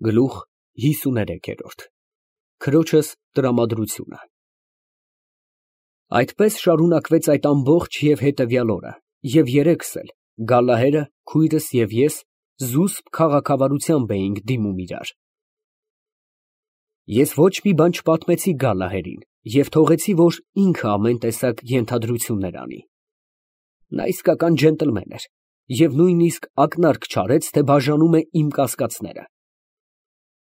Գլուխ 53 Քրոջս տրամադրությունը Այդպես շարունակվեց այդ ամբողջ և հետևյալ օրը, և երեքս էլ, Գալլահերը, քույրս և ես, զուսպ քաղաքավարությամբ էինք դիմում իրար։ Ես ոչ մի բան չպատմեցի Գալլահերին և թողեցի, որ ինքը ամեն տեսակ ենթադրություններ անի։ Նա իսկական ջենտլմեն էր և նույնիսկ ակնարկ չարեց, թե բաժանում է իմ կասկածները։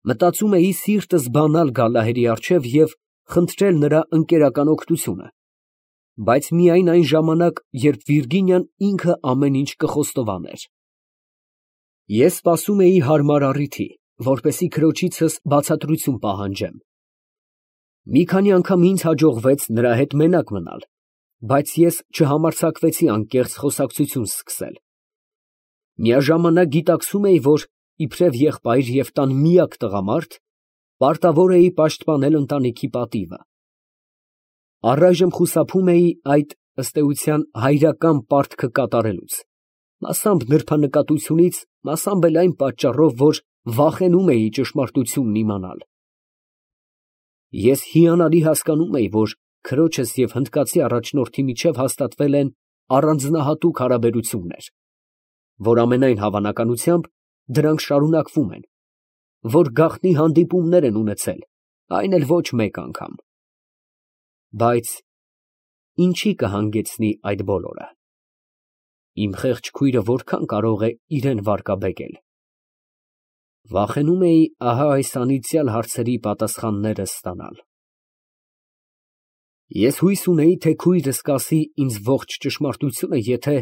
Մտածում էի սիրտս բանալ Գալլահերի առջև և խնդրել նրա ընկերական օգնությունը, բայց միայն այն ժամանակ, երբ Վիրգինիան ինքը ամեն ինչ կխոստովաներ։ Ես սպասում էի հարմար առիթի, որպեսզի քրոջիցս բացատրություն պահանջեմ։ Մի քանի անգամ ինձ հաջողվեց նրա հետ մենակ մնալ, բայց ես չհամարձակվեցի անկեղծ խոսակցություն սկսել։ Միաժամանակ գիտակցում էի, որ իբրև եղբայր և տան միակ տղամարդ, պարտավոր էի պաշտպանել ընտանիքի պատիվը։ Առայժմ խուսափում էի այդ, ըստ էության, հայրական պարտքը կատարելուց, մասամբ նրբանկատությունից, մասամբ էլ այն պատճառով, որ վախենում էի ճշմարտությունն իմանալ։ Ես հիանալի հասկանում էի, որ քրոջս և հնդկացի առաջնորդի միջև հաստատվել են առանձնահատուկ հարաբերություններ, որ ամենայն հավանականությամբ դրանք շարունակվում են, որ գաղտնի հանդիպումներ են ունեցել, այն էլ ոչ մեկ անգամ։ Բայց ինչի կհանգեցնի այդ բոլորը։ Իմ խեղճ քույրը որքան կարող է իրան վարկաբեկել։ Վախենում էի ահա այս անիծյալ հարցերի պատասխանները ստանալ։ Ես հույս ունեի, թե քույրս կասի ինձ ողջ ճշմարտությունը, եթե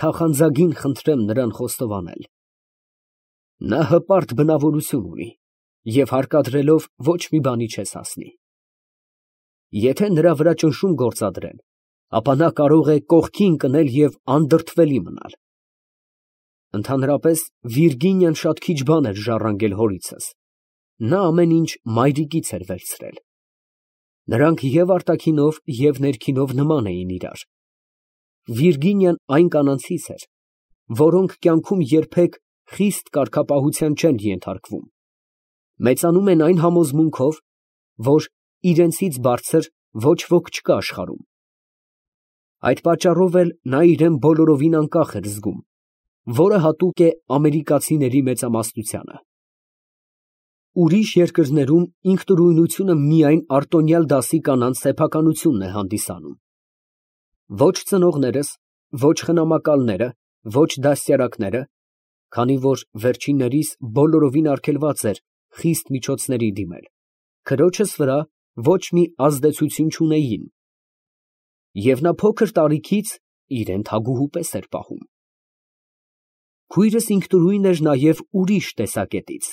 թախանձագին խնդրեմ նրան խոստովանել։ Նա հպարտ բնավորություն ունի և հարկադրելով ոչ մի բանի չես հասնի։ Եթե նրա վրա ճնշում գործադրեն, ապա նա կարող է կողքի ընկնել և անդրդվելի մնալ։ Ընդհանրապես Վիրգինիան շատ քիչ բան էր ժառանգել հորիցս, նա ամեն ինչ մայրիկից էր վերցրել։ Նրանք և արտաքինով և ներքինով նման էին իրար։ Վիրգինիան այն կանանցից էր, որոնք կյանքում երբեք խիստ կարգապահության չեն ենթարկվում, մեծանում են այն համոզմունքով, որ իրենցից բարձր ոչ ոք չկա աշխարհում։ Այդ պատճառով էլ նա իրան բոլորովին անկախ էր զգում, որը հատուկ է ամերիկացիների մեծամասնությանը։ Ուրիշ երկրներում ինքնուրույնությունը միայն արտոնյալ դասի կանանց սեփականությունն է հանդիսանում։ Ոչ ծնողներս, ոչ խնամակալները, ոչ դաստիարակները, քանի որ վերջիններիս բոլորովին արգելված էր խիստ միջոցների դիմել, քրոջս վրա ոչ մի ազդեցություն չունեին, և նա փոքր տարիքից իրան թագուհու պես էր պահում։ Քույրս ինքնուրույն էր նաև ուրիշ տեսակետից։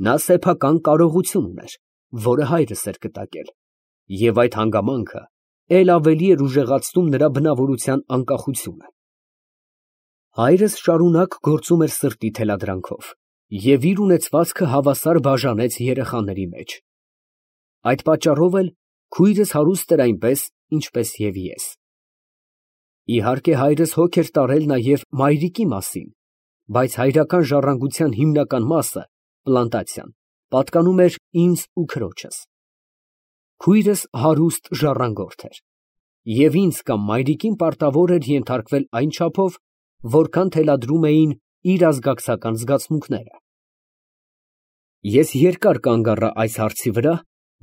Նա սեփական կարողություն ուներ, որը հայրս էր կտակել, և այդ հանգամանքը էլ ավելի էր ուժեղացնում նրա բնավորության անկախությունը։ Հայրս շարունակ գործում էր սրտի թելադրանքով և իր ունեցվածքը հավասար բաժանեց երեխաների մեջ։ Այդ պատճառով էլ քույրս հարուստ էր այնպես, ինչպես և ես։ Իհարկե հայրս հոգ էր տարել նաև մայրիկի մասին, բայց հայրական ժառանգության հիմնական մասը, պլանտացիան, պատկանում էր ինձ ու քրոջս։ Քույրս հարուստ ժառանգորդ էր, և ինձ կամ մայրիկին պարտավոր էր ենթարկվել այն չափով, որքան թելադրում էին իր ազգակցական զգացմունքները։ Ես երկար կանգ առա այս հարցի վրա,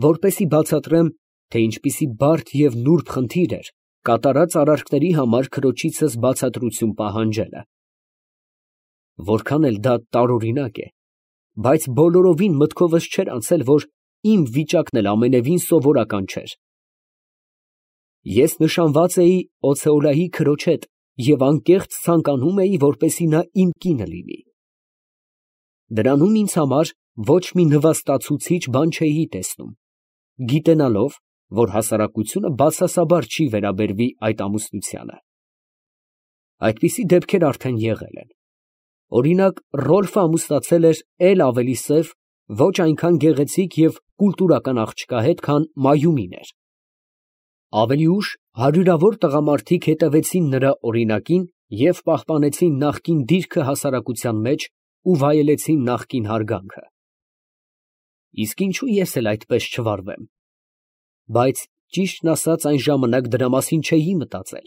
որպեսզի բացատրեմ, թե ինչպիսի բարդ և նուրբ խնդիր էր կատարած արարքների համար քրոջիցս բացատրություն պահանջելը։ Որքան էլ դա տարօրինակ է, բայց բոլորովին մտքովս չէր անցել, որ իմ վիճակն էլ ամենևին սովորական չէր։ Ես նշանված էի Օցեոլայի քրոջ հետ և անկեղծ ցանկանում էի, որպեսզի նա իմ կինը լինի։ Դրանում ինձ համար ոչ մի նվաստացուցիչ բան չէի տեսնում, գիտենալով, որ հասարակությունը բացասաբար չի վերաբերվի այդ ամուսնությանը։ Այդպիսի դեպքեր արդեն եղել են։ Օրինակ, Ռոլֆը ամուսնացել էր էլ ավելի սև, ոչ այնքան գեղեցիկ և կուլտուրական աղջկա հետ, քան Մայումին էր։ Ավելի ուշ հարյուրավոր տղամարդիկ հետևեցին նրա օրինակին և պահպանեցին նախկին դիրքը հասարակության մեջ ու վայելեցին նախկին հարգանքը։ Իսկ ինչու ես էլ այդպես չվարվեմ։ Բայց ճիշտն ասած այն ժամանակ դրա մասին չէի մտածել։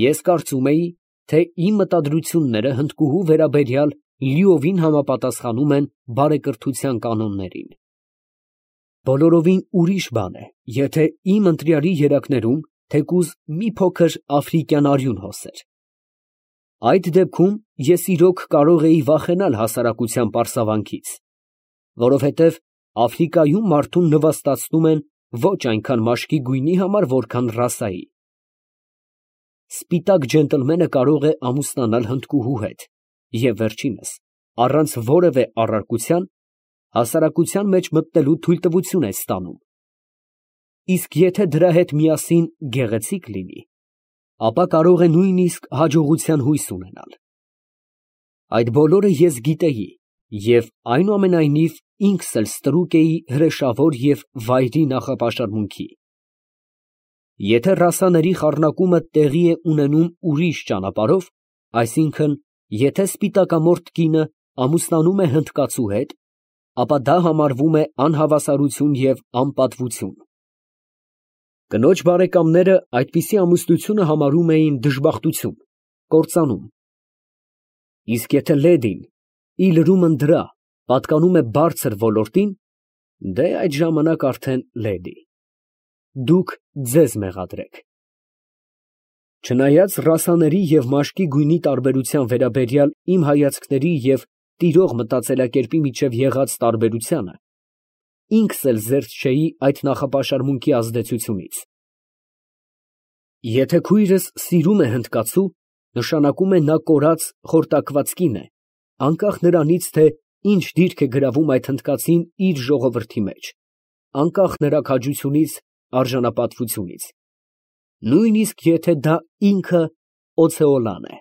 Ես կարծում էի, թե իմ մտադրությունները հնդկուհու վերաբերյալ լիովին համապատասխանում են բարեկրթության կանոններին։ Բոլորովին ուրիշ բան է, եթե իմ ընտրյալի երակներում թեկուզ մի փոքր աֆրիկյան արյուն հոսեր։ Այդ դեպքում ես իրոք կարող էի վախենալ հասարակության պարսավանքից, որովհետև Աֆրիկայում մարդուն նվաստացնում են ոչ այնքան մաշկի գույնի համար, որքան ռասայի։ Սպիտակ ջենտլմենը կարող է ամուսնանալ հնդկուհու հետ և վերջինս, առանց որևէ առարկության, հասարակության մեջ մտնելու թույլտվություն է ստանում։ Իսկ եթե դրա հետ միասին գեղեցիկ լինի, ապա կարող է նույնիսկ հաջողության հույս ունենալ։ Այդ բոլորը ես գիտեի և այնուամենայնիվ ինքս էլ ստրուկ էի հրեշավոր և վայրի նախապաշարմունքի։ Եթե ռասաների խառնակումը տեղի է ունենում ուրիշ ճանապարհով, այսինքն, եթե սպիտակամորթ կինը ամուսնանում է հնդկացու հետ, ապա դա համարվում է անհավասարություն և անպատվություն։ Կնոջ բարեկամները այդպիսի ամուսնությունը համարում էին դժբախտություն, կործանում։ Իսկ եթե լեդին, ի լրումն դրա, պատկանում է բարձր ոլորտին, դե այդ ժամանակ արդեն լեդի։ Դուք ձեզ մեղադրեք։ Չնայած ռասաների և մաշկի գույնի տարբերության վերաբերյալ իմ հայացքների և տիրող մտածելակերպի միջև եղած տարբերությանը, ինքս էլ զերծ չէի այդ նախապաշարմունքի ազդեցությունից։ Եթե քույրս սիրում է հնդկացու, նշանակում է նա կորած, խորտակված կին է, անկախ նրանից, թե ինչ դիրք է գրավում այդ հնդկացին իր ժողովրդի մեջ, անկախ նրա քաջությունից, արժանապատվությունից, նույնիսկ եթե դա ինքը Օցեոլան է։